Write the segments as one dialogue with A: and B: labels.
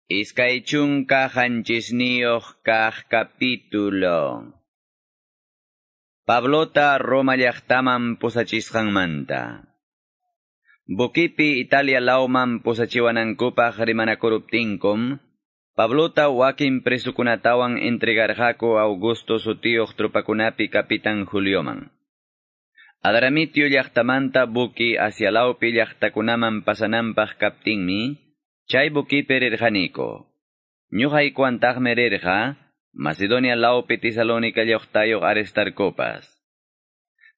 A: 27 kaq capítulo. Pablota Roma llaqtaman pusachisqanmanta. Bukipi Italia lawman pusachiwanankupaq rimanakuruptinkum, Pablota wakin presukunatawan entregarqaku Augusto sutiyuq tropakunapi kapitan Julioman. Adramitio llaqtamanta buki Asia lawpi llaqtakunaman pasananpaq kaptinmi, chay bukipi rirqaniku. Ñuqaykuwantaqmi rirqa, Macedonia lawpi Tesalónica llaqtayuq Aristarcopas.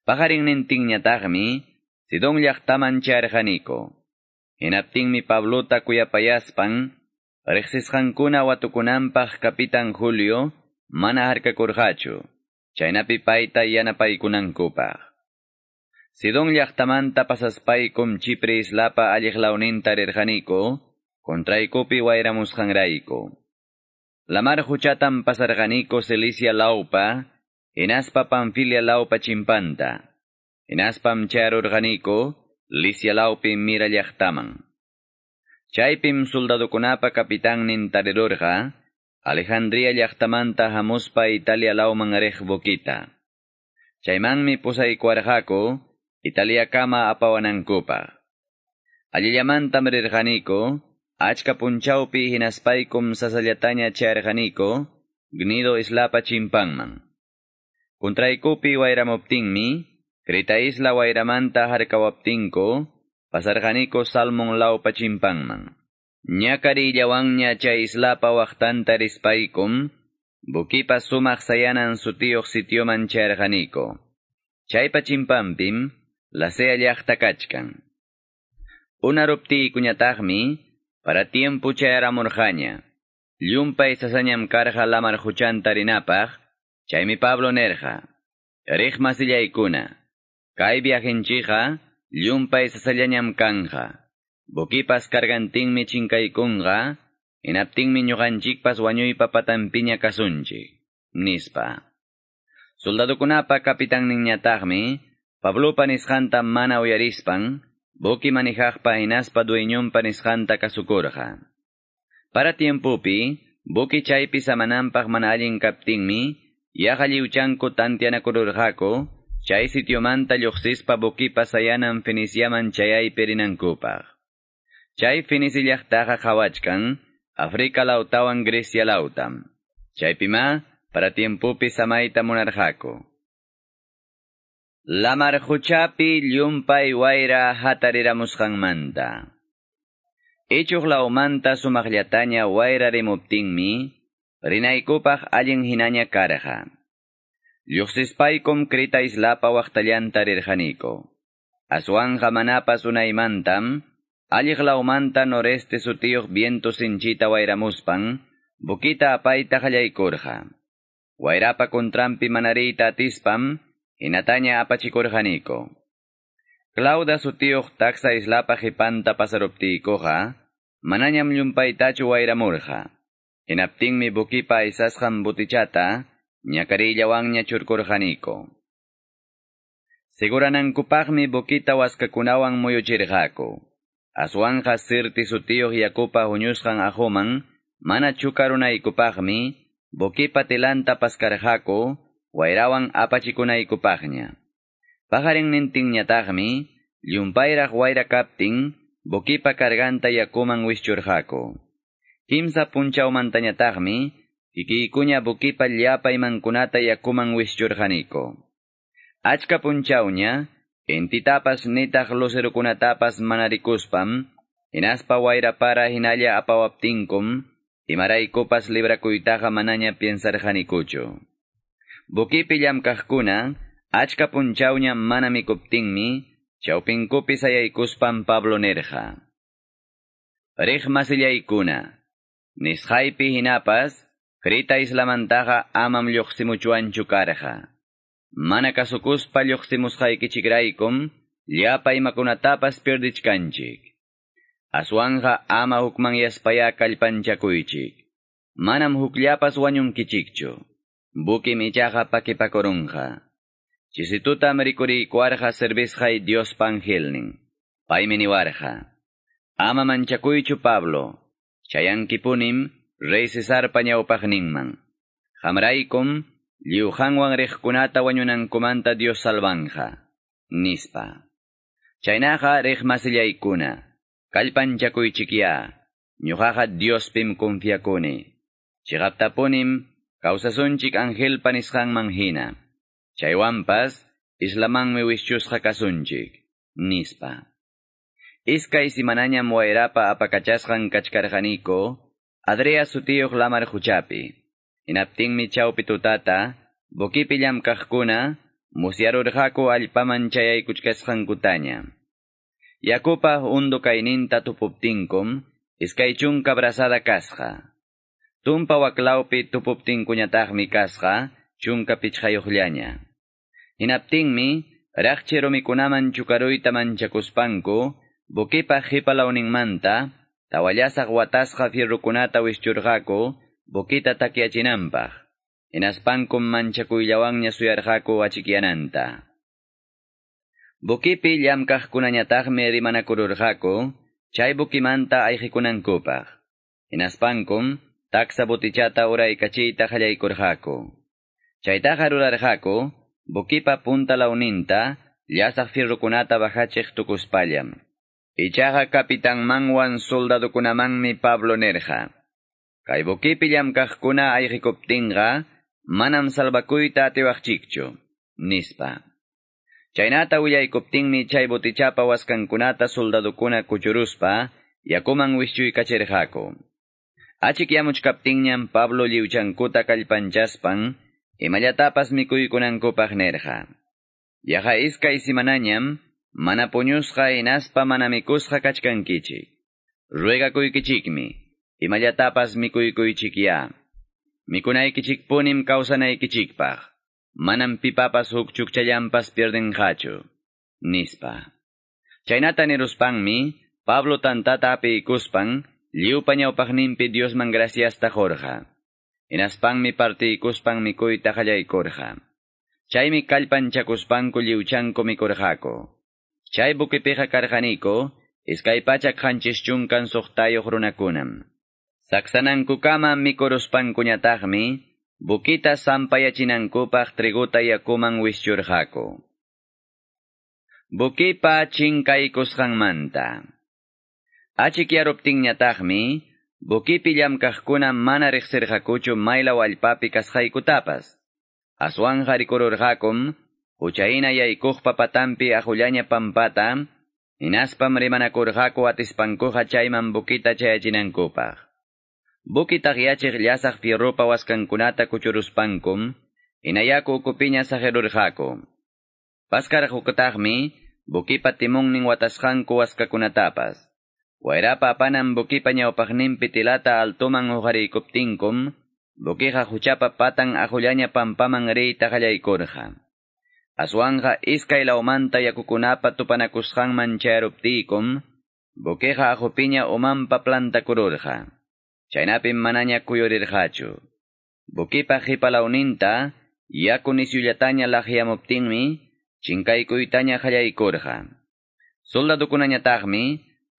A: Paqarinnintinñataqmi, Sidón llaqtaman chayarqaniku. Hinaptinmi Pablota kuyapayaspan, riqsisqankuna watukunanpaq kapitan Julio mana harkakurqachu, chaynapi payta yanapaykunankupaq. Sidón llaqtamanta pasaspaykum Chipre islapa alliq lawninta rirqaniku, contraykupi wayramusqanrayku. Lamar huchatam pasarqaniku Cilicia lawpa, hinaspa Panfilia lawpa chimpanta. Hinaspam chayarurqaniku Licia lawpi Mira llaqtaman. Chaypim soldadokunapa kapitannin tarirurqa, Alejandría llaqtamanta hamuspa Italia lawman riq bukita. Chaymanmi pusaykuwarqaku Italiakama apawanankupaq. Allillamantam rirqaniku, achka punchawpi hinaspaykum sasallataña chayarqaniku, Gnido islapa chimpanman. Contraykupi wayramuptinmi, Creta isla wayramanta harkawaptinku, pasarqaniku Salmon lawpa chimpanman. Ñakarillawanña chay islapa waqtanta rispaykum, bukipa sumaq sayanan sutiyuq sitioman chayarqaniku. Chaypa chimpanpim, Lasea llaqta kachkan. Unaruptiykuñataqmi, para tiempo chayaramurqaña. Llumpay sasañam karqa lamar huchanta rinapaq, chaymi Pablo nerqa. Riq masillaykuna, kay viajenchikqa llumpay sasallañam kanja. Bukipas kargantinmi chinkaykunqa, hinaptinmi ñuqanchikpas wañuypa patanpiña kasunchik, nispa. Soldadokunapa kapitanninñataqmi, Pablopa nisqanta mana uyarispan, buki manijaqpa hinaspa dueñonpa nisqanta kasukurqa. Para tiempopi, buki chaypi samananpaq mana allin kaptinmi, yaqa lliwchanku tantianakururqaku, chay sitiomanta lluqsispa bukipa sayanan Feniciaman chayaypi rinankupaq. Chay Fenici llaqtaqa qhawachkan, Afrika lawtawan Grecia lawtam. Chaypima, para tiempopi samayta munarqaku. Lamar huchapi llumpay wayra hatariramusqanmanta. Ichuq lawmanta sumaqllataña wayra rimuptinmi, rinaykupaq allin hinaña karqa. Lluqsispaykum Creta islapa waqtallanta rirqaniku. Aswanqa manapas unaymantam, alliq lawmanta noreste sutiyuq viento sinchita wayramuspan, bukita apayta qallaykurqa. Wayrapa contranpi manariyta atispam, hinataña apachikurqaniku. Clauda sutiyuq taksa islapa qhipanta pasaruptiykuqa, manañam llumpaytachu wayramurqa. Hinaptinmi bukipa aysasqan butichata, ñakarillawanña churkurqaniku. Seguranankupaqmi bukita waskakunawan muyuchirqaku. Aswanqa Sirti sutiyuq yakupa huñusqan aquman, mana chukarunaykupaqmi, bukipa tilanta paskarqaku, wayrawan apachikunaykupaqña. Paqarinnintinñataqmi, llumpayraq wayra kaptin, bukipa karganta yakuman wischurqaku. Kimsa punchawmantañataqmi, kikiykuña bukipa llapa imankunata yakuman wischurqaniku. Achka punchawña, intitapas nitaq lucerukunatapas mana rikuspam, hinaspa wayra para hinalla apawaptinkum, imaraykupas librakuytaqa manaña piensarqanikuchu. Bukipi llamkaqkuna, achka punchawña mana mikuptinmi, chawpinkupi sayaykuspan Pablo nerqa. Riq masillaykuna, nisqaypi hinapas, Creta islamantaqa amam lluqsimuchwanchu karqa. Mana kasukuspa lluqsimusqaykichikraykum, llapa imakunatapas pierdichkanchik. Aswanqa ama hukmanyaspaya kallpanchakuychik. Manam hukllapas wañunkichikchu. Bukim ichaqa pakipakurunqa. Chisitutam rikuriykuwarqa servisqay Diospa angelnin. Paymi niwarqa. Ama manchakuychu Pablo. Chayankipunim rey Cesarpa ñawpaqninman. Qamraykum lliw qanwan riqkunata wañunankumanta Dios salvanja, nispa. Chaynaqa riqmasillaykuna, kallpanchakuychikya, ñuqaqa Diospim confiakuni. Chiqaptapunim kawsasunchik angelpa nisqanman hina. Chaywanpas islamanmi wischusqa kasunchik, nispa. Iskay simanañam wayrapa apakachasqan kachkarqaniko, Adria sutiyuq lamar huchapi. Hinaptinmi chawpi tutata, buquipi llamkaqkuna, musyarurqaku allpaman chayaykuchkasqankutaña. Yakupa hondo kayninta tupuptinkum, iskay chunka brazada kasqa. Tumpa waklawpi tupuptinkuñataqmi kasqa, chunka pichqayuqllaña. Hinaptinmi, raqchi rumikunaman chukaruyta manchakuspanku, buquipa qhipalawninmanta, tawallasaq watasqa fierrukunata wischurqaku, buquita takyachinanpaq. Hinaspankum manchakuyllawanña suyarqaku achikyananta. Buquipi llamkaqkunañataqmi rimanakururqaku, chay buquimanta ayqikunankupaq. Hinaspankum taksa botichata uraykachiyta qallaykurqaku. Chaytaqa rurarqaku, buquipa punta lawninta, llasaq fierrukunata bajachiq tukuspallam. Ichaqa kapitanmanwan soldadukunamanmi Pablo nirqa. Kay buquipi llamkaqkuna ayqikuptinqa, manam salvakuyta atiwaqchikchu, nispa. Chaynata willaykuptinmi chay botichapa waskankunata soldadukuna kuchuruspa, yakuman wischuykacherqaku. Achikyamuchkaptinñam Pablo lliwchankuta kallpanchaspan, imallatapas mikuykunankupaq nirqa. Yaqa iskay simanañam, mana puñusqa hinaspa mana mikusqa kachkankichik. Ruegakuykichikmi, imallatapas mikuykuychikya. Mikunaykichikpunim kawsanaykichikpaq. Manam pipapas huk chukchallampas pierdenqachu, nispa. Chaynata niruspanmi, Pablo tantata apiykuspan, lliwpa ñawpaqninpi Diosman graciasta qurqa. Hinaspanmi partiykuspan mikuyta qallaykurqa. Chaymi kallpanchakuspanku lliwchanku mikurqaku. Chay buquipiqa karqaniku, 276 runakunam. Saksanankukama mikuruspankuñataqmi, buquita sampayachinankupaq triguta yakuman wischurqaku. Buquipa chinkaykusqanmanta. Achikyaruptinñataqmi, buquipi llamkaqkuna mana riqsirqakuchu maylaw allpapi kasqaykutapas. Aswanqa rikururqakum, huchayna yaykuqpa patanpi aqullaña pampata, hinaspam rimanakurqaku atispankuqa chayman buquita chayachinankupaq. Buqui taqyachiq llasaq fierrupa waskankunata kuchuruspankum, hinayaku ukupiña saqirurqaku. Paskarqukutaqmi, buquipa timunnin watasqanku waskakunatapas. Wayrapa apanan buquipa ñawpaqninpi tilata altoman huqariykuptinkum, buquiqa huchapa patan aqullaña pampaman riyta qallaykurqa. Aswanqa iskay lawmanta yakukunapa tupanakusqanman chayaruptiykum, buquiqa aqupiña umanpa plantakururqa. Chaynapim manaña kuyurirqachu. Buquipa qhipalawninta, yaku nisyullataña laqyamuptinmi, chinkaykuytaña qallaykurqa. Soldadukunañataqmi,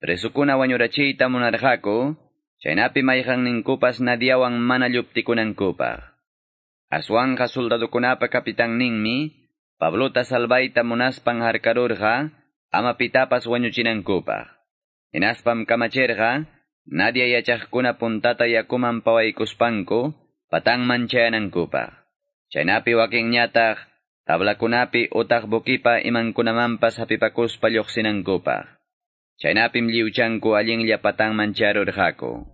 A: presukuna wañurachiyta munarqaku, chaynapi mayqanninkupas nadiawan mana lluptikunankupaq. Aswanqa soldadukunapa kapitanninmi, Pablota salvayta munaspan harkarurqa, ama pitapas wañuchinankupaq. Hinaspam kamachirqa, nadia yachaqkuna puntata yakuman pawaykuspanku, patanman chayanankupaq. Chaynapi wakinñataq, tablakunapi utaq buquipa imankunamanpas hapipakuspa lluqsinankupaq. Chaynapim lliwchanku allinlla patanman charurqaku.